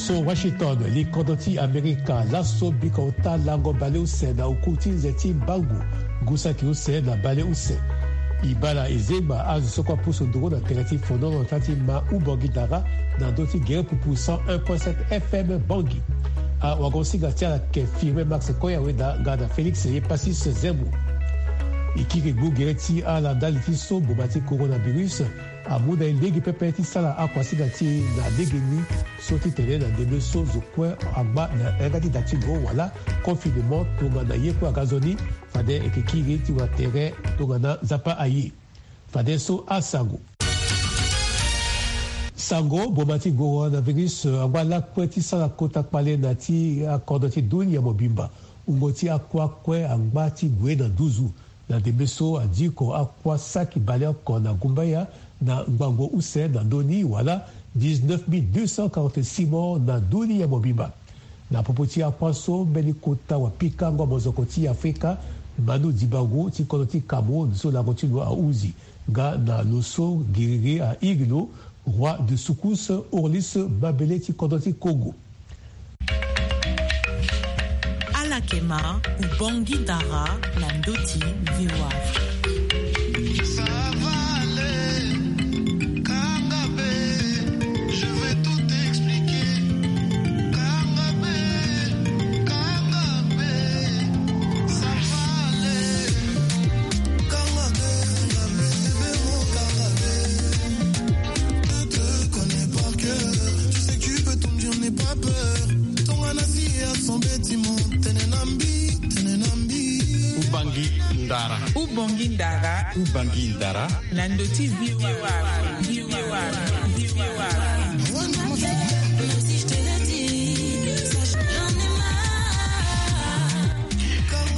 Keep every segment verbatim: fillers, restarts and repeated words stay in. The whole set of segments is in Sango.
So Washington, li kodro ti Amerika laso biko ota lango baleuse na oku ti nze ti mbangu, ngu saki use na baleuse. E baa na e zengba azo so kue apusu nduru na tere ti fonono na ota ti ma Ubangui Dara na ndö ti gere pupu cent un point sept F M Bangui. Awagosinga ti ala ayeke Firmin Max Koya Weda nga na Félix Epasis Zembo. E kiri gbu gere ti ala ndali ti so mboma ti coronavirus amu na e lege pepe ti sara akuasinga ti e na legeni so ti tene na ndembe so zo kue agba na yanga ti da ti lo wala confinement tongana ye kue aga nzoni. Fade e yeke kiri ti wara tere tongana Nzapa aye. Fadeso asango. Sango, mboma ti coronavirus angba lakue ti sara kota kpale na ti akodro ti dunia mobimba. Wungo ti akua kue angba ti gue na nduzu. Na ndembe so adiko akua saki baleoko na gumbaya na ngbangbo use na ndö ni wala dix-neuf mille deux cent quarante-six morts na dunia mobimba. Na popo ti akua so mbeni kota wapikango mozoko ti Afrika, Manu Dibango ti kodro ti Cameroun so lango ti lo ahuzi nga na lo so giriri airi lo, roi de secousses Orlis Mabele ti kodro ti Congo. Ala yeke ma Ubangui Dara na ndö ti V O A Afrique. Ça va aller, Kangabe, je vais tout expliquer. Kangabe, Kangabe, ça va aller. Kangabe, Kangabe, bébé, mon Kangabe. Je te connais par cœur. Tu sais que tu peux tout me dire, n'aie pas peur. Tongana si ya son bâtiment, tene na mbi, tene na mbi. Ubangui Dara. Ubangui Dara. Ubangui Dara. Na ndö ti V O A.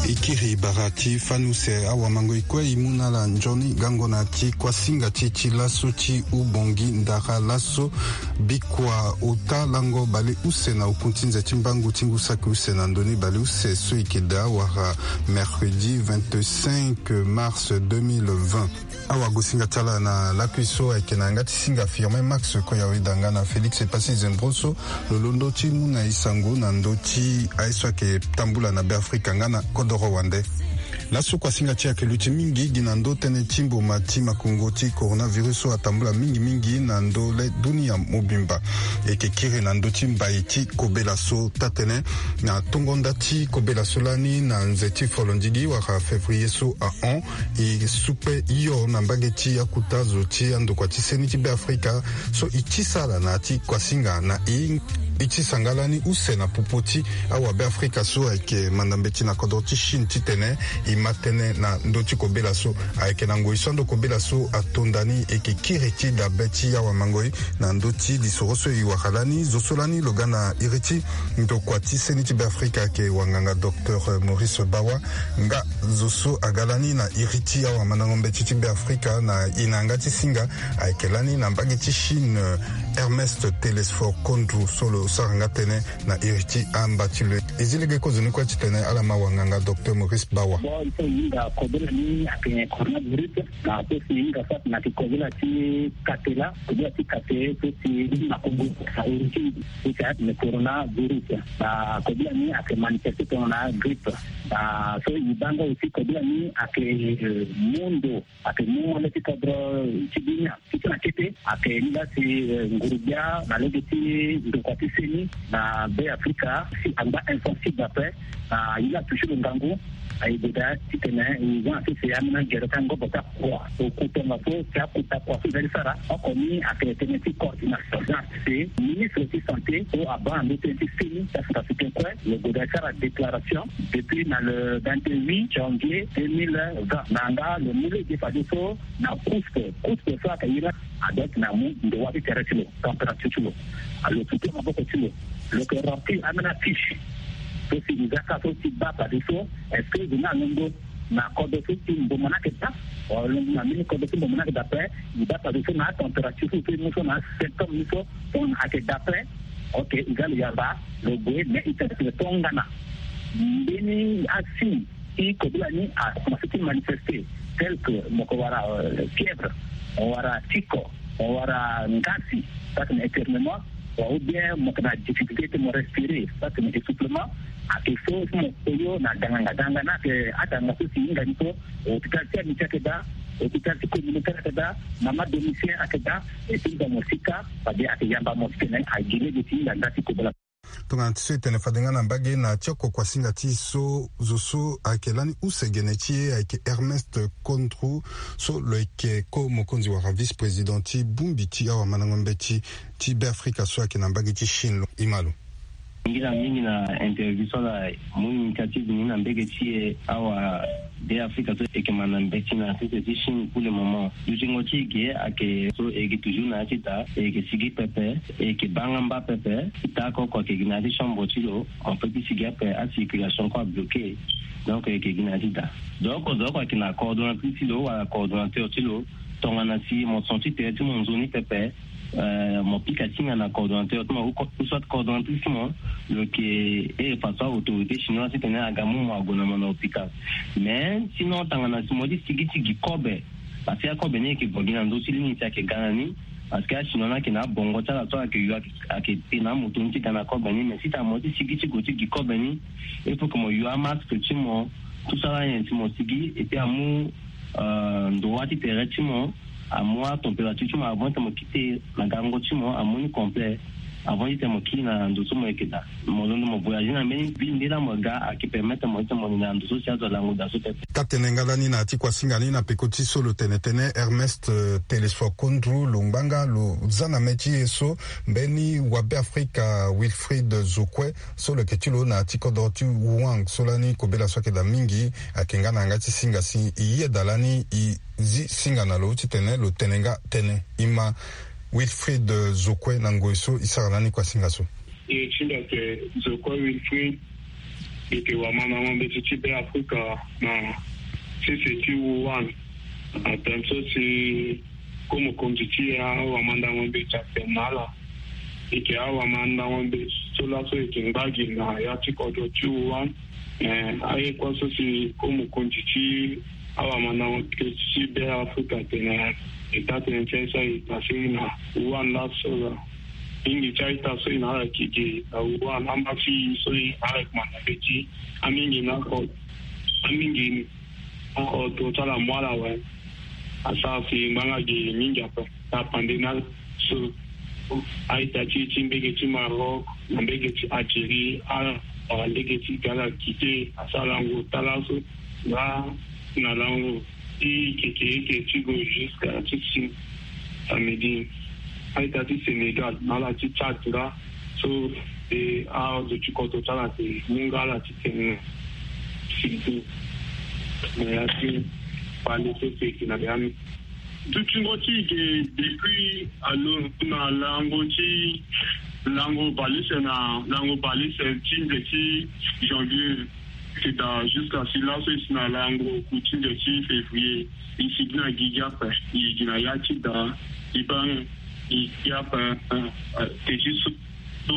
E kiri bara ti fani use, awamango e kue e mu na ala nzoni gango na ti kuasinga ti e ti laso ti Ubangui Dara laso bikua ota lango baleuse na oku ti nze ti mbangu ti ngu saki use na ndö ni baleuse so e yeke daa wara mercredi vingt-cinq mars deux mille vingt. Awagosinga ti ala na lakui so ayeke na yanga ti singa Firmin Max Koya Weda nga na Félix Epasis Zembo so lo londo ti mu na e sango na ndö ti aye so ayeke tambula na Beafrika nga na kodoro wande. Laso kuasinga ti e ayeke luti mingi gi na ndö tënë ti mboma ti makongo ti coronavirus so atambula mingi mingi na ndö le dunia mobimba. E yeke kiri na ndö ti mbai ti kobela so taa-tënë na tongo nda ti kobela so lani na nze ti folondigi wala février so ahon. E supe hio na mbage ti akuta zo ti andokua ti seni ti Beafrika so e tisa ala na ya ti kuasinga na e. E tisa nga lani use na popo ti awabeafrika so ayeke manda mbeti na kodro ti Chine titene e ma tënë na ndö ti kobela so. Ayeke na ngoi so ando kobela so ato nda ni e yeke kiri ti dabe ti awamangoi. Na ndö ti lisoro so e wara lani, zo so lani lo ga na iri ti ndokua ti seni ti Beafrika ayeke wanganga docteur Maurice Bawa. Nga zo so aga lani na iri ti awamandango mbeti ti Beafrika na e na yanga ti singa ayeke lani na mbage ti Chine, Ernest Telesphore Kondou so lo sara nga tënë na iri ti amba ti lo. E zi lege kozoni kue titene ala ma wanganga docteur Maurice Bawa. Bon, il faut hinga kobela ni ayeke coronavirus. Na so si hinga soit na yeke kobela ti kate laa, kobela ti kate so si na Congo na origine so si ayeke coronavirus. Na kobela ni ayeke manifeste tongana grippe. Na so e baa nga aussi kobela ni ayeke, euh, mu ndo, ayeke mu wande ti kodro ti dunia. Ti so na kete ayeke ni laa si, euh, nguru-gbia na lege ti ndokua ti seni na Beafrika si angba insensible ape. Na e laa touché lo ngangu. E goda titene e za na sese ambeni gere ti angobo ti akua. Oku tongaso si akuta kua so e za ti sara oko ni ayeke tënë ti coordination. Za na sese ministre ti santé so abaa na ndö tënë ti seni ti Centrafricain kue, lo goda ti sara déclaration depuis na le vingt-huit janvier deux mille vingt. Na nga lo mu lege fadeso na couspe, couspe so ayeke iri, a doit na mu ndowa ti tere ti lo, température ti lo. A lo sutu maboko ti lo, lo yeke remplir ambeni afiche so si e za ka so ti baa fadeso est-ce que zo ni alondo na kodro so ti mboma ni ayeke daa, wala alondo na mbeni kodro so ti mboma ni ayeke daa ape. E baa fadeso na atempérature so e mu so na asymptôme ni so tongana ayeke daa ape. Ok, e ga lo yamba, lo gue, mais e tene tongana mbeni asigne ti kobela ni akomanse ti manifeste, tel que mo yeke wara, euh, fièvre, mo wara tiko, mo wara ngasi, ça c'est un éternuement. Ou bien mo yeke na difficulté ti mo respirer, ça c'est essoufflement. Ayeke so si mo koyo na ganganga ganganga ni ayeke atanga so si hinga ni so. Hôpital ti amitié ayeke daa. Hôpital ti communautaire ayeke daa. Mama domicile ayeke daa. Et puis mo sika fade ayeke yamba mo titene agi lege ti hinga nda ti kobela. Tongana ti so e tene fade nga na mbage na ti oko kuasinga ti e so zo so ayeke lani use gene ti e ayeke Ernest Kondru, so lo yeke ko mokonzi wala vice-président ti bongbi ti awamandango mbeti ti Beafrika so ayeke na mbage ti Chine lo. Ima lo. Ngira mingi na interview so ala mu initiative ni na mbage ti e awa Beafrika so e yeke manda mbeti na sese ti Chine pour le moment. Dutingo ti e ge ayeke so e yeke toujours na ya ti da, e yeke sigi pepe, e yeke baa nga mba pepe. Ti taa oko oko ayeke gi na ya ti chambre ti lo, mo peut ti sigi ape, acirculation kue abloqué. Donc e yeke gi na ya ti da. Donc oko zo oko ayeke na coordonnatrice ti lo wala coordonnateur ti lo. Tongana si mo son ti tere ti mo nzoni pepe, eh, mo pika ti hinga na coordonnateur ti mo ou co-, ou soit coordonnatrice ti mo, lo yeke iri façon autorité chinoise titene aga mu mo ague na mo na hôpital. Mais sinon tongana si mo ye ti sigi ti gi kobe, parce que akobe ni ayeke gue gi na ndö ti lini si ayeke ga na ni. Parce que achinois ni ayeke na abongo ti ala so ayeke yo ayeke, ayeke te na amoto ni ti ga na kobe ni. Mais si tongana mo ye ti sigi ti gue ti gi kobe ni, il faut que mo yo amasque ti mo, tout ça là, nyen si mo sigi, et puis amu, euh, ndua ti tere ti mo, amu atempérature ti mo avant ti mo kite na gango ti mo, amu ni complet avant ti tene mo kiri na ndo so mo yeke daa. Mo londo mo voyage na mbeni bi nde laa mo ga ayeke permettre mo ti tene mo linda na ndo so si azo alango daa so pepe. Taa-tënë nga lani na ya ti kuasinga ni na peko ti so lo tene tënë Ernest, euh, Telesphore Kondru lo ngbanga lo za na mê ti e so mbeni wabeafrika Wilfried Zokwe so lo yeke ti lo na ya ti kodro ti Wuhan so lani kobela so ayeke daa mingi ayeke nga na yanga ti singa si e yeda lani e zi singa na lo titene lo tene nga tënë. Ima Wilfried Zokwe na ngoi so e sara lani kuasinga so. E ti mbi ayeke Zokwe Wilfried. E yeke wamandango mbeti ti Beafrika na sese ti Wuhan. Na tënë so si ko mokonzi ti awamandango mbeti atene na ala. E yeke awamandango mbeti so laso e yeke ngba gi na ya ti kodro ti Wuhan. Eh, aye kue so si ko mokonzi ti awamandango mbeti ti Beafrika atene, e taa-tënë ti aye so aye passé na Wuhan laso laa. Mingi ti a-ita so e na ala yeke gi na Wuhan, amba ti e so e na ala yeke manda mbeti. Amingi na oko, amingi na oko toro ti ala amu ala awe. Asara si ngbanga gi mingi ape. Na pande na ala so a-ita ti e ti mbage ti Maroc na mbage ti Algérie, ala wara lege ti ga ala kite, asara lango taa laso. Nga na lango ti keke eke ti gue jusqu'à ti si samedi. A-ita ti Sénégal na ala ti Tchad nga so, e azo ti kodro ti ala ate mu nga ala ti tene sirtu na ya ti pale so si e yeke na ya ni. Dutingo ti e ge depuis alo na lango ti lango bale use na lango bale use ti nze ti janvier. Ti daa jusqu'à si laso e si na lango ku ti nze ti février. E sigi na gigi ape, e gi na ya ti daa, e baa gigi ape. Te ti so, so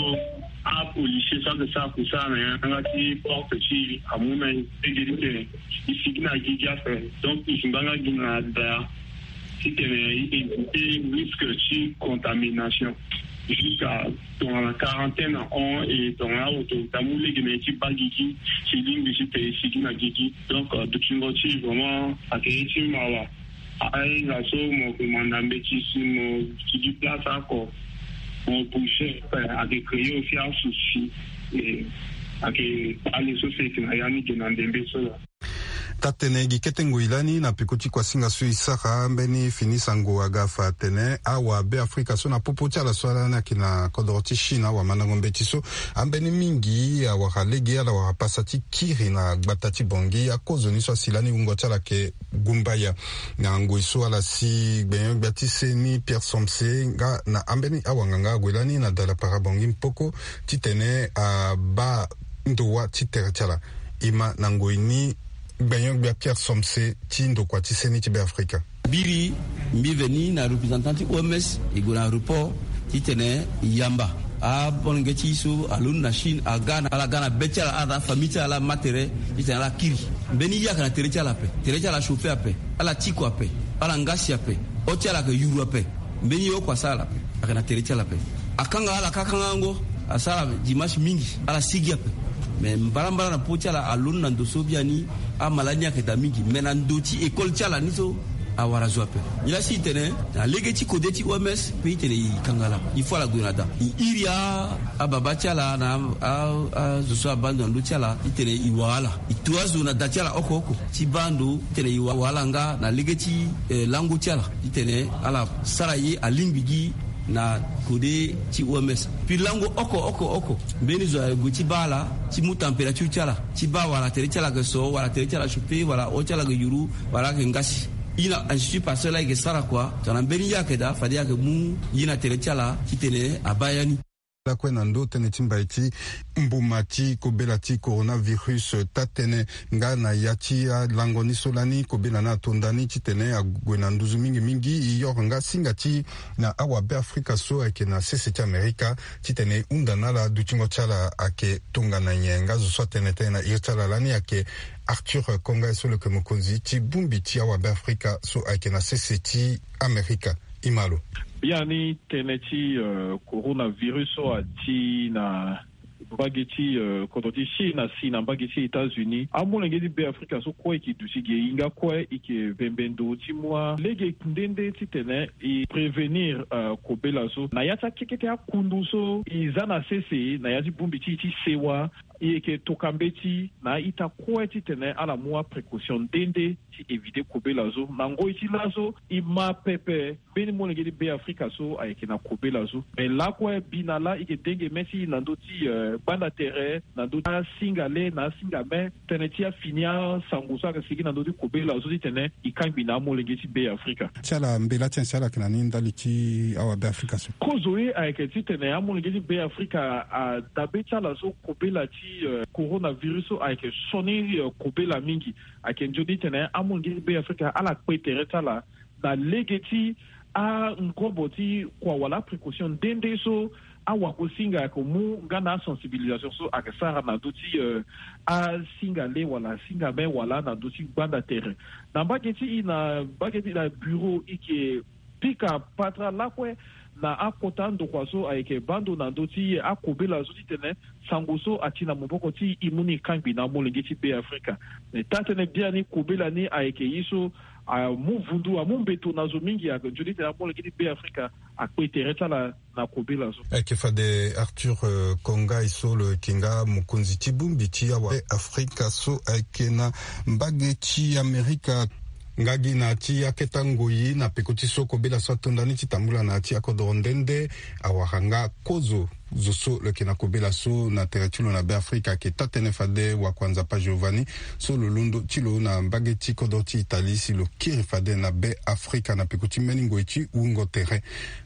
apolicier so ayeke sara kusala na yanga ti porte ti e amu na e lege ti tene e sigi na gigi ape. Donc e si ngbanga gi na daa titene e éviter risque ti contamination. Jusqu'à tongana quarantaine ahon, e tongana autorité amu lege na e ti baa gigi, si lingbi ti tene e sigi na gigi. Donc, euh, dutingo ti e vraiment ayeke ye ti mawa. Ahinga so mo yeke manda mbeti si mo sigi place oko, mo bouger, ayeke créer aussi asouci. E ayeke kpale so si e yeke na ya ni ge na ndembe so laa. Taa-tënë gi kete ngoi lani na peko ti kuasinga so e sara mbeni fini sango aga fa atene awabeafrika so na popo ti ala so ala ni ayeke na kodro ti Chine, awamandango mbeti so, ambeni mingi awara lege, ala wara pasa ti kiri na gbata ti Bangui. Akozoni so asi lani wungo ti ala ayeke gumbaya. Na ngoi so ala si gbenyo-gbia ti seni Pierre Somse nga na ambeni awanganga ague lani na dala para Bangui mpoko titene abaa ndowa ti tere ti ala. Ima na ngoi ni gbenyo-gbia Pierre Somse ti ndokua ti seni ti Beafrika. Biri mbi veni na représentant ti O M S, e gue na aéroport titene e yamba amolenge ti e so alondo na Chine aga na ala ga na be ti ala, ala na afamille ti ala, ala ma tere titene ala kiri. Mbeni ye ayeke na tere ti ala ape, tere ti ala achauffer ape, ala tiko ape, ala ngasi ape, o ti ala ayeke yuru ape. Mbeni ye oko asara ala ape, ayeke na tere ti ala ape. Akanga ala ka kangango. Asara dimanche mingi, ala sigi ape. Me mbarambara na po ti ala aloni na ndo so biani. Amala ni ayeke daa mingi, me na ndo ti école ti ala ni so awara zo ape. Nilaa si e tene na lege ti kode ti oms pe e tene e kanga ala, il faut ala gue na daa. E iri ababa ti ala na azo so abaa ndo na ndö ti ala, e tene e wara ala. E to azo na da ti ala oko oko ti baa ndo, e tene e wara ala nga na lege ti lango ti ala. E tene ala sara ye alingbi gi na kode ti oms. Puis lango oko oko oko, mbeni zo ague ti baa ala ti mu température ti ala, ti baa wala tere ti ala ayeke so, wala tere ti ala chauffé, wala o ti ala ayeke yuru, wala ayeke ngasi. I na institut Pasteur laa e yeke sara kua tongana mbeni ye ayeke daa, fade ayeke mu ye na tere ti ala titene abaa ya ni. Lakue na ndö tënë ti mbai ti mbuma ti kobela ti coronavirus, taa-tënë nga na ya ti alango ni so lani kobela ni ato nda ni titene ague na nduzu mingi mingi. E yoro nga singa ti na awabe afrika so ayeke na sese ti amerika titene e hunda na ala dutingo ti ala ayeke tongana nyen. Nga zo so atene tënë na iri ti ala lani ayeke Arthur Konga so lo yeke mokonzi ti bongbi ti awabe afrika so ayeke na sese ti amerika. Imalo. Biani tënë ti coronavirus so ati na mbage ti kodro ti Chine asi na mbage ti États-Unis, amolenge ti Be Afrika so kue e ke duti ge, e hinga kue e ke vembe ndo ti mu alege nde nde titene e prévenir kobela so na ya ti akeke ti akundu so e za na sese na ya ti bongbi ti e ti sewa. E yeke toka mbeti na a-ita kue titene ala mu aprécaution nde nde ti éviter kobela so. Na ngoi ti laso e ma pepe mbeni molenge ti Be Afrika so ayeke na kobela so. Me lakue mbi na laa e yeke denge mê ti e na ndö ti gbanda tere, na ndö ti asinga le na asinga mê, tënë ti afini asango so ayeke sigi na ndö ti kobela so titene e kangbi na amolenge ti Be Afrika. Ti ala mbela ti nyen si ala yeke na ni ndali ti awabe Afrika so? Kozo ye ayeke titene amolenge ti Be Afrika adabe ti ala so kobela ti coronavirus so ayeke sioni kobela mingi. Ayeke nzoni titene amolenge ti Be Afrika ala kpe tere ti ala na lege ti angobo ti kua wala aprécaution nde nde so awakosinga ayeke mu nga na asensibilisation so ayeke sara na ndö ti asinga le wala asinga mê wala na ndö ti gbanda tere. Na mbage ti e na mbage ti e na bureau e yeke pika patara lakue na akota ndokua so ayeke baa ndo na ndö ti akobela so titene sango so ati na maboko ti e e mu ni e kangbi na amolenge ti Be Afrika. Me taa-tënë biani kobela ni ayeke ye so amu vundu, amu mbeto na zo mingi. Ayeke nzoni titene amolenge ti Be Afrika akpe tere ti ala na kobela so. Ayeke fade Arthur Konga so lo yeke nga mokonzi ti bongbi ti awabe Afrika so ayeke na mbage ti Amerika. Nga gi na ya ti akete ngoi na peko ti so kobela so ato nda ni ti tambula na ya ti akodoro nde nde, awara nga kozo zo so lo yeke na kobela so na tere ti lo na Be Afrika. Ayeke taa-tënë fade wakua Nzapa Giovanni so lo londo ti lo na mbage ti kodro ti Italie si lo kiri fade na Be Afrika na peko ti mbeni ngoi ti wungo tere.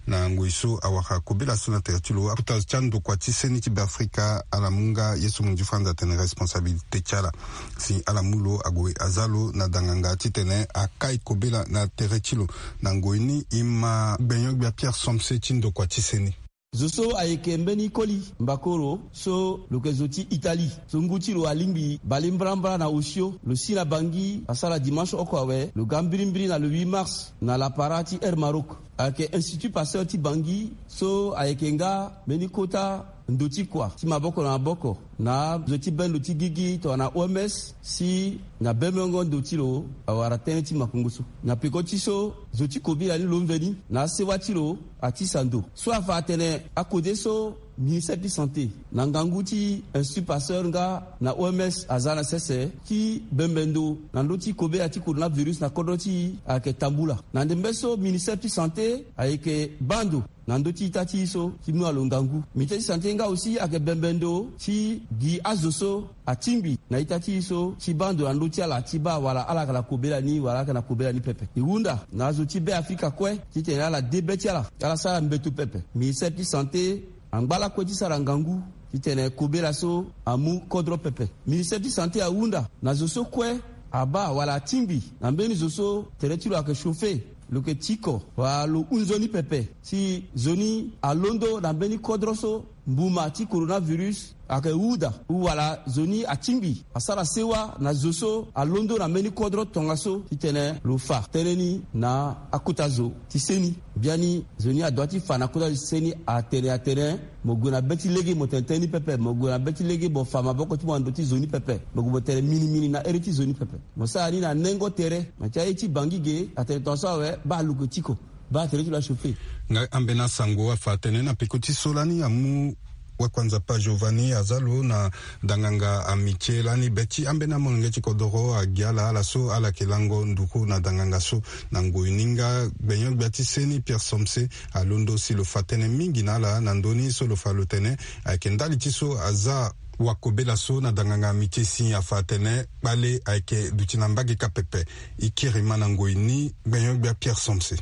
Na ngoi so awara kobela so na tere ti lo, akota zo ti andokua ti seni ti Be Afrika ala mu nga ye so monzi Franz atene responsabilité ti ala si ala mu lo ague aza lo na danganga titene akai kobela na tere ti lo. Na ngoi ni e ma gbenyo-gbia Pierre Somse ti ndokua ti seni. Zo so ayeke mbeni koli mbakoro so lo yeke zo ti Italie so ngu ti lo alingbi bale mbrambra na osio, lo si na Bangui asara dimanche oko awe, lo ga mbirimbiri na le huit mars na lapara ti Air Maroc. Ayeke Institut Pasteur ti Bangui so ayeke nga mbeni kota ndo ti kua ti maboko na maboko na azo ti bendo ti gigi tongana O M S si na bembengo ndo ti lo awara tënë ti makongo so. Na peko ti so, zo ti kobela ni lo mveni na asewa ti lo atisa ndo so afa atene akode so ministère ti santé na ngangu ti Institut Pasteur nga na O M S aza na sese ti bembe ndo na ndö ti kobela ti coronavirus na kodro ti e ayeke tambula. Na ndembe so ministère ti santé ayeke baa ndo na ndö ti ita ti e so ti mu na lo ngangu. Ministère ti santé nga aussi ayeke bembe ndo ti gi azo so atingbi na ita ti e so ti baa ndo na ndö ti ala ti baa wala ala yeke na kobela ni wala ala yeke na kobela ni pepe. E hunda na azo ti Be Afrika kue titene ala de be ti ala, ala sara mbeto pepe. Ministère ti santé angba lakue ti sara ngangu titene kobela so amu kodro pepe. Ministère ti santé ahunda na zo so kue abaa wala atingbi na mbeni zo so tere ti lo ayeke chauffer, lo yeke tiko wala lo hunzoni pepe si zo ni alondo na mbeni kodro so mbuma ti coronavirus ayeke huda, ou wala zo ni atingbi asara sewa na zo so alondo na mbeni kodro tongaso titene lo fa tënë ni na akota zo ti seni. Biani zo ni adoit ti fa na akota zo ti seni atene atene mo gue na be ti lege mo tene tënë ni pepe, mo gue na be ti lege mo fa maboko ti mo na ndö ti zo ni pepe, mo gue mo tene minimini na ere ti zo ni pepe. Mo sara ni na nengo tere. Me ti aye ti Bangui ge atene tongaso awe baa lo ke tiko, baa tere ti lo achauffer. Nga ambeni asango afa atene na peko ti so lani amu Wakuanzapa Giovanni aza lo na danganga Amitié lani be ti ambeni amolenge ti kodoro agi ala ala so ala yeke lango nduru na danganga so. Na ngoi ni nga gbenyo-gbia ti seni Pierre Somse alondo si lo fa tënë mingi na ala na ndö ni so lo fa lo tene ayeke ndali ti so aza wakobela so na danganga Amitié si afa atene kpale ayeke duti na mbage kâ pepe. E kiri ma na ngoi ni gbenyo-gbia Pierre Somse.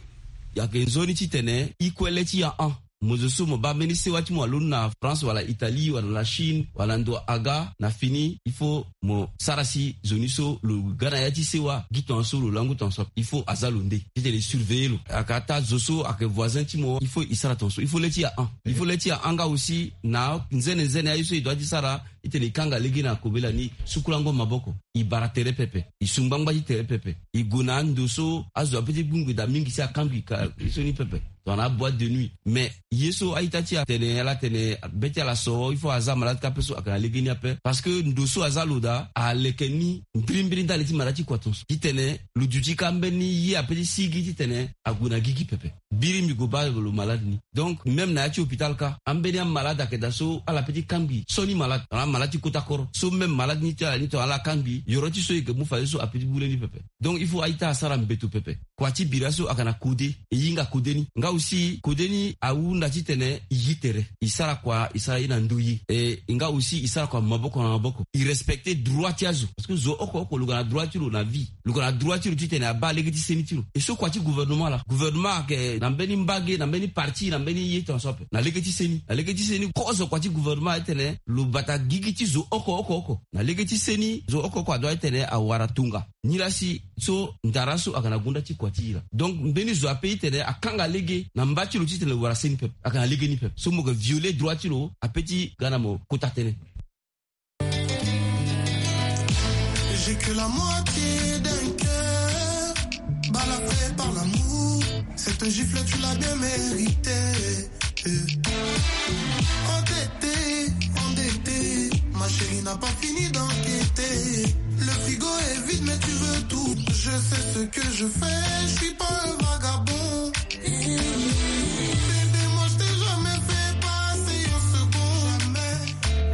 Ayeke nzoni titene e kue le ti ya an. Mo zo so mo baa mbeni sewa ti mo alondo na France wala Italie wala na Chine wala ndo aga na fini, il faut mo sara si zo ni so lo ga na ya ti sewa gi tongaso lo langu tongaso ape. Il faut aza lo nde titene e surveiller lo. Ayeke ataa zo so ayeke voisin ti mo, il faut e sara tongaso, il faut le ti ya an. Il faut le ti ya an nga aussi na nzene nzene aye so e doit ti sara. Titene e kanga lege na kobela ni, sukulango maboko, e bara tere pepe, e su ngbangba ti tere pepe, e gue na ando so azo ape ti gbingbi daa mingi si akangbi ka ye so ni pepe. Tongana aboîte de nuit. Mais ye so a-ita ti atene ala tene be ti ala so il faut aza malade kâ ape so ayeke na lege ni ape. Parce que ndo so aza lo daa aleke ni mbirimbiri ndali ti malade ti kua tongaso titene lo duti kâ mbeni ye ape ti sigi titene ague na gigi pepe. Biri mbi gue baa lo malade ni. Donc même na ya ti hôpital kâ ambeni amalade ayeke daa so ala pe ti kangbi so ni malade, tongana amalade ti kota koro so même malade ni ti ala ni tongana ala kangbi yoro ti so e yeke mu fadeso ape ti bule ni pepe. Donc il faut a-ita asara mbeto pepe. Kua ti bira so ayeke na kode, e hinga kode ni. Nga aussi kode ni ahunda titene e gi tere, e sara kua, e sara ye na ndoye. E nga aussi e sara kua maboko na maboko, e respecter droit ti azo. Parce que zo oko oko lo ga na droit ti lo na vie. Lo ga na droit ti lo titene abaa lege ti seni ti lo. E so kua ti gouvernement laa, gouvernement ayeke na mbeni mbage, na mbeni parti, na mbeni ye tongaso ape na lege ti seni. Na lege ti seni kozo kua ti gouvernement atene lo bata gigi ti zo oko oko oko. Na lege ti seni zo oko oko adoit titene awara tonga. Nilaa si so ndara so ayeke na gonda ti kua ti e laa. Donc mbeni zo ape titene akanga lege na mba ti lo titene lo wara seni pepe, ayeke na lege ni pepe. So mo yeke violer droit ti lo ape ti ga na mo kota tënë. J'ai que la moitié d'un cœur, balafré par l'amour. Cette gifle, tu l'as bien méritée. Endetté, endetté, ma chérie n'a pas fini d'enquêter. Le frigo est vide, mais tu veux tout. Je sais ce que je fais, je suis pas un vagabond. Bébé, moi je t'ai jamais fait passer un second. Jamais.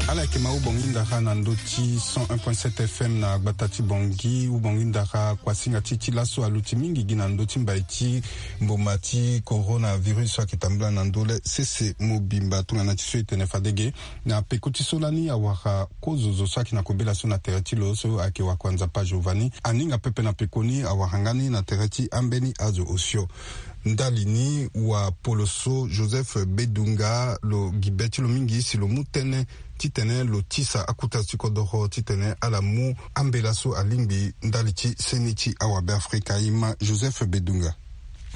Ala yeke ma hubongi ndara na ndö ti cent un point sept F M na gbata ti Bangui. Hubongi ndara, kuasinga ti ti laso aluti mingi gi na ndö ti mbai ti mboma ti coronavirus so ayeke tambula na ndö le sese mobimba. Tongana ti so e tene fade ge, na peko ti so lani awara kozo zo so ayeke na kobela so na tere ti lo so ayeke Wakuanzapa Giovanni aninga pepe na pekoni awara nga ni na tere ti ambeni azo osio. Ndali ni, wapoloso Joseph Bedunga lo gi be ti lo mingi si lo mu tënë titene lo tisa akota ti kodoro titene ala mu ambela so alingbi ndali ti seni ti awabe Afrika. E ma Joseph Bedunga.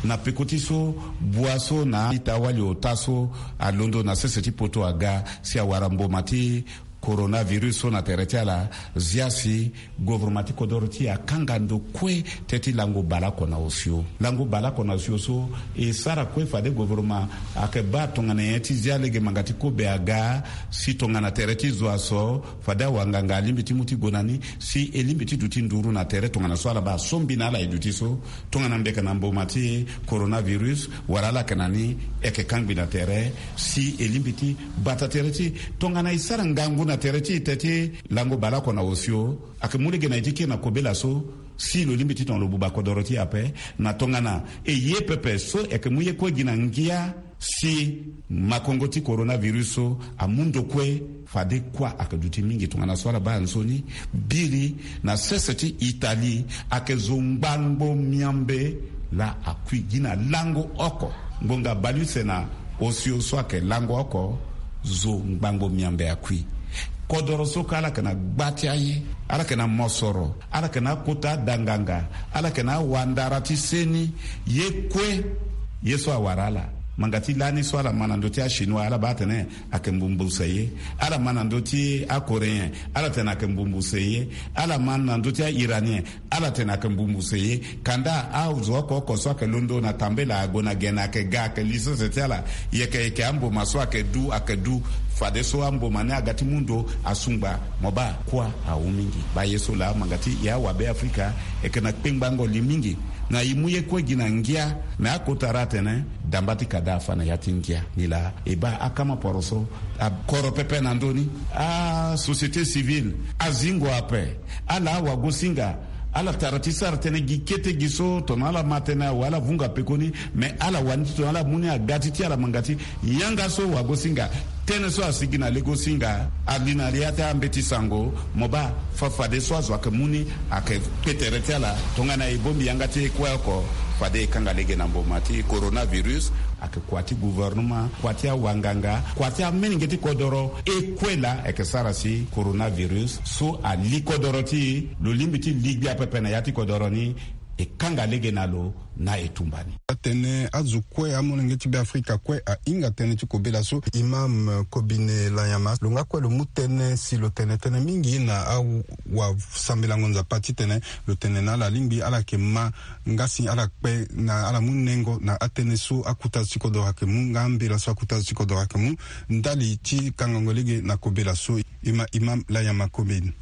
Na peko ti so bua so na a-ita wali ota so alondo na sese ti poto aga si awara mboma ti coronavirus so na tere ti ala, zia si gouvernement ti kodoro ti e akanga ndo kue teti lango baleoko na osio. Lango baleoko na osio so e sara kue fade gouvernement ayeke baa tongana nyen ti zia lege manga ti kobe aga, si tongana tere ti zo aso fade awanganga alingbi ti mu ti gue na ni, si e lingbi ti duti nduru na tere tongana so ala baa so mbi na ala e duti so. Tongana mbeka na mboma ti coronavirus wala ala yeke na ni, e yeke kangbi na tere si e lingbi ti bata tere ti e. Tongana e sara ngangu na tere ti e te ti lango baleoko na osio, ayeke mu lege na e ti kiri na kobela so si lo lingbi ti tongana lo buba kodoro ti e ape. Na tongana e ye pepe so e yeke mu ye kue gi na ngia si makongo ti coronavirus so amu ndo kue, fade kuâ ayeke duti mingi tongana so ala baa nzoni. Biri na sese ti Italie, ayeke zo ngbangbo miambe laa akui gi na lango oko. Ngbonga baleuse na osio so ayeke lango oko, zo ngbangbo miambe akui. Kodoro so kue ala yeke na gba ti aye, ala yeke na mosoro, ala yeke na akota danganga, ala yeke na awandara ti seni. Ye kue ye so awara ala, Manga ti lani so ala ma na ndö ti achinois, ala baa atene ayeke mbumbuse ye. Ala ma na ndö ti acoréen, ala tene ayeke mbumbuse ye. Ala ma na ndö ti airanien, ala tene ayeke mbumbuse ye. Kanda azo oko oko so ayeke londo na tambela, ague na gene, ayeke ga, ayeke li sese ti ala. Yeke yeke amboma so ayeke du, ayeke du. Fadeso amboma ni aga ti mu ndo asungba. Mo baa kuâ awu mingi. Baa ye so laa manga ti e awabe afrika e yeke na kpengbango li mingi. Na e mu ye kue gi na ngia. Me akota ra atene damba ti kada afa na ya ti ngia. Nilaa e baa akama poroso akoro pepe na ndö ni. Asociété civile azingo ape. Ala awagosinga, ala tara ti sara tënë gi kete gi so tongana ala ma tënë awe ala vunga pekoni. Me ala wani ti tongana ala mu ni aga ti ti ala manga ti yanga so wagosinga. Tënë so asigi na legosinga ali na ya ti ambeti sango. Mo baa fa fadeso azo ayeke mu ni ayeke kpe tere ti ala. Tongana e bongbi yanga ti e kue oko, fade e kanga lege na mboma ti coronavirus. Ayeke kua ti gouvernement, kua ti awanganga, kua ti amolenge ti kodoro. E kue laa ayeke sara si coronavirus so ali kodoro ti e. Lo lingbi ti li gbia pepe na ya ti kodoro ni. E kanga lege na lo na e tumba ni. Atene azo kue, amolenge ti Beafrika kue ahinga tënë ti kobela so. Imam Kobine Lanyama, lo nga kue lo mu tënë si lo tene tënë mingi na awasambelango Nzapa titene lo tene na ala lingbi ala yeke ma nga si ala kpe na ala mu nengo na atënë so akuta azo ti kodoro ayeke mu nga ambela so akuta azo ti kodoro ayeke mu ndali ti kangango lege na kobela so. Ima Imam Lanyama Kobine.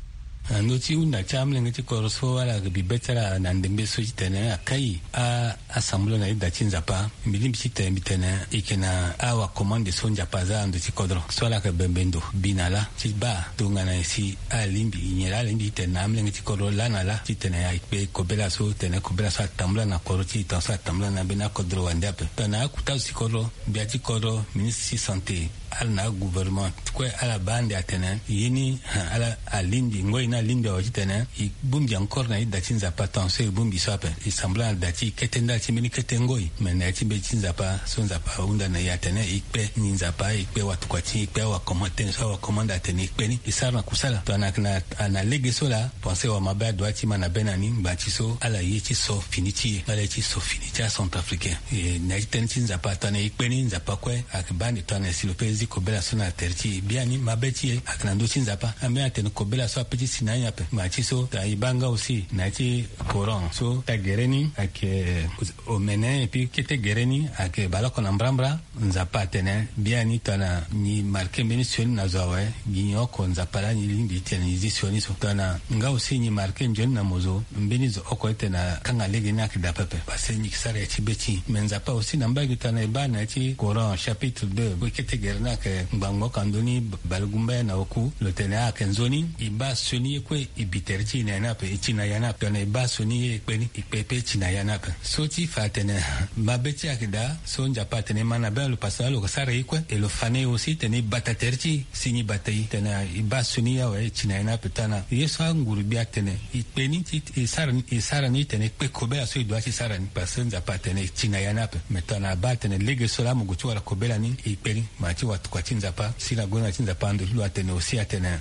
Na ndö ti hunda ti amolenge ti kodro so ala bi be ti ala na ndembe so titene akai a asambula na ida ti Nzapa. Mbi lingbi titene mbi tene e yeke na awakomande so Nzapa aza na ndö ti kodro so ala yeke bembe ndo bi na lâ ti baa tongana nyen si ala lingbi nyen laa ala lingbi titene na amolenge ti kodro lâ na lâ titene e kpe kobela so tene kobela so atambula na kodro ti e tongaso atambula na ambeni akodro wande ape. Tongana akuta azo ti kodro, gbia ti kodro, ministre ti santé, ala na agouvernement kue ala baa ande atene ye ni ala alingbi ngoi ni alingbi awe titene e bongbi encore na ida ti Nzapa tongaso e bongbi so ape. E sambula na da ti e kete ndali ti mbeni kete ngoi me na ya ti mbeti ti Nzapa so Nzapa ahunda na e atene e kpe ni Nzapa, e kpe watokua ti e, e kpe awakomande tënë so awakomande atene e kpe ni e sara na kusala. Tongana ayeke na lege so laa pense wamabe adua ti ma na be na ni ngbanga ti so ala ye ti so fini ti e ala ye ti so fini ti acentrafricain. E na ya ti tënë ti Nzapa tongana e kpe ni Nzapa kue ayeke baa ande tongana si lo pe zi kobela so na tere ti e biani mabe ti e ayeke na ndö ti Nzapa. Ambeni atene kobela so ape ti si na ani ape ngbanga ti so tongana e baa nga aussi na ya ti Coran so ta gere ni ayeke omene epui kete gere ni ayeke baleoko na mbrambra. Nzapa atene biani tongana nyi marke mbeni sioni na zo awe gi nyen oko Nzapa laa nyi lingbi titene nyi zi sioni so. Tongana nga aussi nyi marke nzoni na mo zo mbeni zo oko titene akanga lege ni ayeke daa pepe parce que nyi yeke sara ya ti be ti nyi. Me Nzapa aussi na mbage tongana e baa na ya ti Coran chapitre deux kue kete gere ni ayeke ngbangbo oko na ndoni balegumba ye na oku lo tene ayeke nzoni. E baa sioni ye kue e bi tere ti e na ya ni ape e ti na ya ni ape tongana e baa sioni ye e kpe ni e kpe pe e ti na ya ni ape. So ti fa atene mabe ti e ayeke daa so Nzapa atene e ma na be na lo parce que lo yeke sara ye kue e lo fa na e aussi tene e bata tere ti e si nyi bata e tene e baa sioni ye awe e ti na ya ni ape tongana ye so anguru gbi atene e kpe ni ti e sara ni e sara ni titene e kpe kobela so e dua ti sara ni parce que Nzapa atene e ti na ya ni ape. Me tongana abaa atene lege so laa mo gue ti wara kobela ni e kpe ni ma ti watokua ti Nzapa si na gonda ti Nzapa ando ti lo atene aussi atene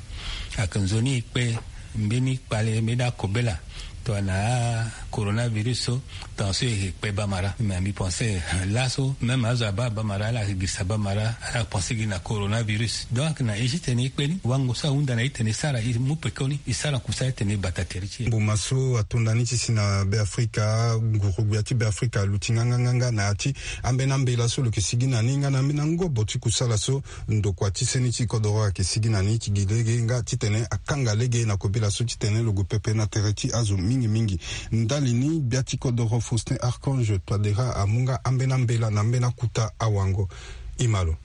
ayeke nzoni e kpe mbeni kpale mbeni akobela tongana coronavirus so. Tongana so e yeke kpe bamara me mbi pense laso même azo abaa bamara ala yeke girisa bamara ala yeke pense gi na coronavirus donc na e ti tene e kpe ni wango so ahunda na e titene e sara e mu pekoni e sara kusala titene e bata tere ti e. Mbuma so atonda ni ti si na Beafrika nguru-gbia ti Beafrika aluti nganganganga na ya ti ambeni ambela so lo yeke sigi na ni nga na ambeni angobo ti kusala so ndokua ti seni ti kodoro ayeke sigi na ni ti gi lege nga titene akanga lege na kobela so titene lo gue pepe na tere ti azo mingi mingi. Ndali ni gbia ti kodoro Faustin Archange Touadéra amu nga ambeni ambela na ambeni akuta awango. Imalo.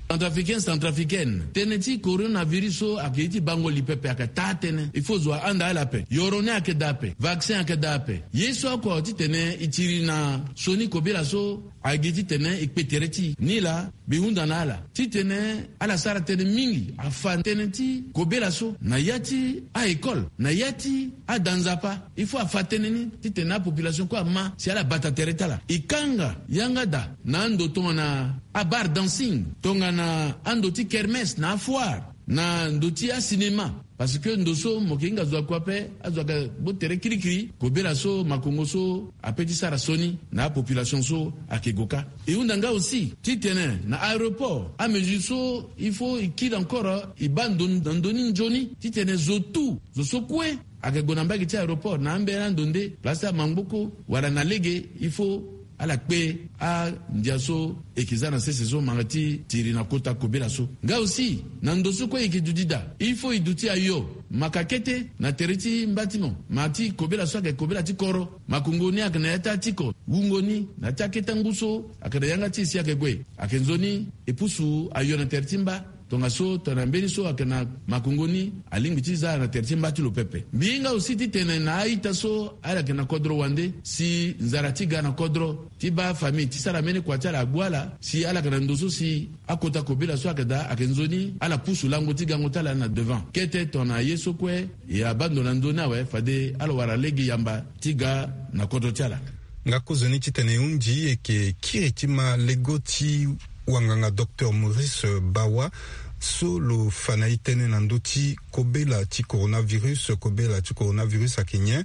Centrafricain, centrafricaine, tënë ti coronavirus so ayeke ye ti bango li pepe ayeke taa tënë il faut zo ahanda ala ape yoro ni ayeke daa ape vaccin ayeke daa ape ye so oko titene e tiri na sioni kobela so. Agi titene e kpe tere ti e ni laa mbi hunda na ala titene ala sara tënë mingi afa tënë ti kobela so na ya ti a-école na ya ti ada Nzapa. Il faut afa tënë ni titene apopulation kue ama si ala bata tere ti ala e kanga yanga daa na ando tongana abar dancing tongana ando ti kermès na afoire. na ndo ti asinema. Parce que ndo so mo yeke hinga zo akua ape, azo ayeke gbu tere kirikiri kobela so makongo so ape ti sara sioni na apopulation so ayeke gue kâ. E hunda nga aussi titene na aéroport amesure so il faut e kiri encore e baa ndo na ndö ni nzoni titene zo tout, zo so kue ayeke gue na mbage ti aéroport na ambeni ando nde place ti amangboko wala na lege, il faut ala kpe andia so e yeke za na sese so manga ti tiri na kota kobela so. Nga aussi na ndo so kue e yeke duti daa, il faut e duti ayo maka kete na tere ti mba ti mo, ma ti kobela so ayeke kobela ti koro. Makongo ni ayeke na ya ti atiko, wungo ni na ya ti akete angu so ayeke na yanga ti e si ayeke gue. Ayeke nzoni e pusu ayo na tere ti mba. Tongaso tongana mbeni so ayeke na makongo ni alingbi ti za na tere ti mba ti lo pepe. Mbi hinga aussi titene na a-ita so ala yeke na kodro wande si nzara ti ga na kodro ti baa famille ti sara mbeni kua ti ala agbu ala si ala yeke na ndo so si akota kobela so ayeke daa ayeke nzoni ala pusu lango ti gango ti ala na devant. Kete tongana ye so kue e abaa ndo na ndö ni awe fade ala wara lege yamba ti ga na kodro ti ala. Nga kozoni titene e hundi e yeke kiri ti ma lego ti wanganga docteur Maurice Bawa so lo fa na e tënë na ndö ti kobela ti coronavirus. Kobela ti coronavirus ayeke nyen?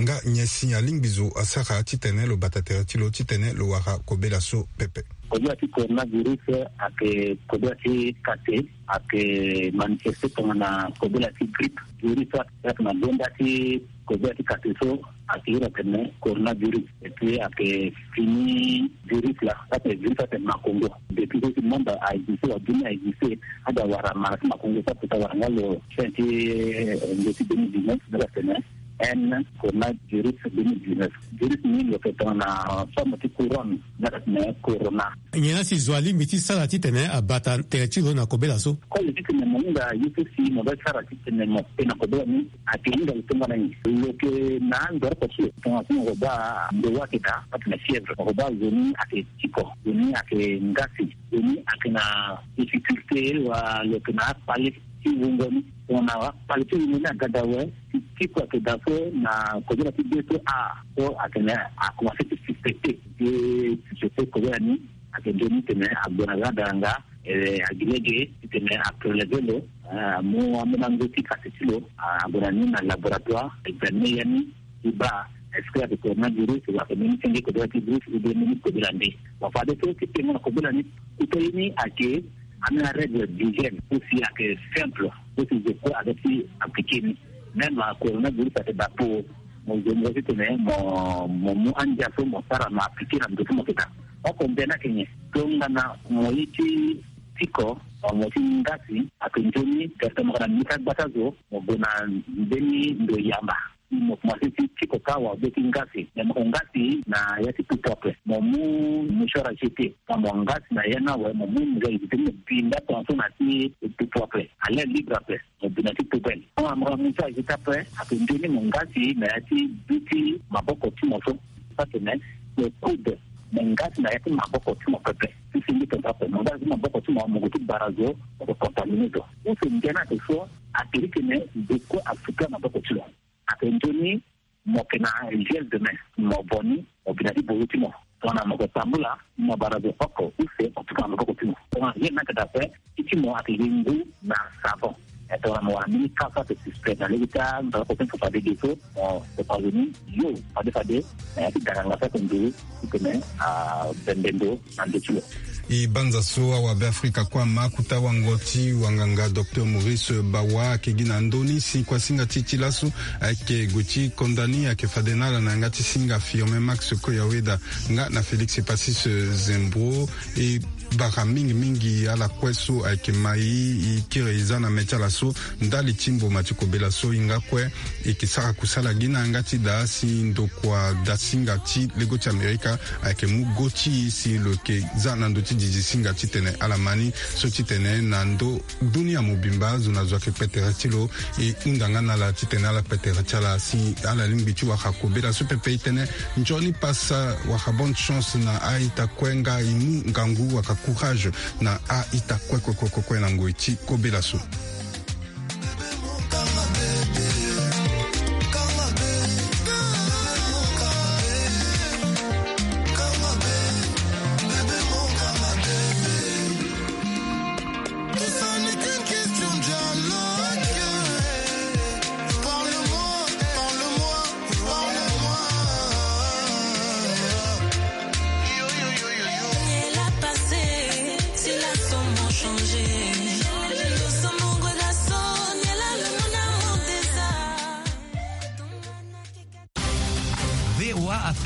Nga nyen si alingbi zo asara titene lo bata tere ti lo titene lo wara kobela so pepe? Kobela ti coronavirus ayeke kobela ti kate, ayeke manifeste tongana kobela ti grippe. Virus so ayeke na gonda ti kobela ti kate so ayeke iri atene coronavirus. Et puis ayeke fini virus laa, atene virus atene makongo. Depuis so si monde a existe wala dunia a existe, ade awara mara ti makongo so apesa wara nga lo fin ti, eh, nde ti deux mille dix-neuf, nde atene N coronavirus deux mille dix-neuf. Virus ni lo yeke tongana forme ti couronne, nde atene corona. Nyen la si zo alingbi ti sara titene abata tere ti lo na kobela so? Kue lo ti tene mo hinga ye so si mo doit sara titene mo kpe na kobela ni, ayeke hinga lo tongana nyen? Lo yeke na andoro oko ti lo, tongana so mo ko baa ndo wa ayeke daa, atene fièvre, mo ko baa zo ni ayeke tiko, zo ni ayeke ngasi, zo ni ayeke na difficulté wala lo yeke na akpale ti wungo ni. Tongana akpale ti wungo ni aga daa awe, ti tiko ayeke daa so na kobela ti be so a so atene akomanse ti suspecté. Ti suspecté kobela ni ayeke nzoni titene ague na ga daranga, eh, agi lege titene apreleve lo, eh, amu ambeni ango ti kate ti lo, ah, ague na ni na laboratoire, examine ya ni ti baa est-ce que ayeke coronavirus wala ayeke mbeni senge kobela ti virus ou bien mbeni kobela nde. Bon, fade so ti tengo na kobela ni, kota ye ni ayeke ambeni arègle d'hygiène so si ayeke simple, so si zo kue adoit ti appliqué ni. Même coronavirus ayeke daa po mo zo mo titene mo, mo mu andia so mo sara mo appliqué na ndo so mo yeke daa. Oko mbeni ayeke nyen? Tongana mo ye ti tiko, mo ti ngasi, ayeke nzoni directement mo yeke na mbeni ti agbata zo, mo gue na mbeni ndo yamba. Mo komanse ti tiko kâ wala be ti ngasi. Me mo yeke ngasi na ya ti pupu ape, mo mu mouchoir à jeter. Tongana mo ngasi na ya ni awe, mo mu mouchoir à jeter, mo bi nda tongaso na ya ti pupu ape, à l'air libre ape. Mo bi na ti poubelle. Tongana mo yeke mouchoir à jeter ape, ayeke nzoni mo ngasi na ya ti bi ti maboko ti mo so. Atene mo coude, mo ngasi na ya ti maboko ti mo pepe. Ti senge tongaso ape, mo ngasi ti maboko ti mo, mo gue ti bara zo, mo yeke contaminé zo. Use nde ni ayeke so, ayeke iri titene zo kue asuka maboko ti lo. Ayeke nzoni mo yeke na gel de main, mo vo ni, mo bi na ti bozo ti mo. Tongana mo yeke tambula, mo bara zo oko use mo tuka na maboko ti mo. Tongana gel ni ayeke daa ape, ti ti mo ayeke gi ngu na savon. E tongana mo wara mbeni ka so ayeke suspect na lege ti amaboko ti mo, fade ge so mo yeke zi ni yo fade fade na ya ti daranga so ayeke nduru titene abembe ndo na ndo ti lo. E banza so awabe Afrika kue ama kota wango ti wanganga docteur Maurice Bawa ayeke gi na ndö ni si kuasinga ti e ti laso ayeke gue ti konda ni ayeke fade na ala na yanga ti singa Firmin Max Koyaweda nga na Félix Passis Zembro. E bara mingi mingi ala kue so ayeke ma e, e kiri e za na mê ti ala so ndali ti mboma ti kobela so e nga kue e yeke sara kusala gi na yanga ti daa si ndokua dasinga ti lego ti Amerika ayeke mu go ti e si lo yeke za na ndö ti dizi singa titene ala ma ni so titene na ndö dunia mobimba zo na zo ayeke kpe tere ti lo. E hunda nga na ala titene ala kpe tere ti ala si ala lingbi ti wara kobela so pepe. E tene nzoni pasa wala bonne chance na a-ita kue nga e mu ngangu wala courage na a-ita kue kue kue kue kue na ngoi ti kobela so.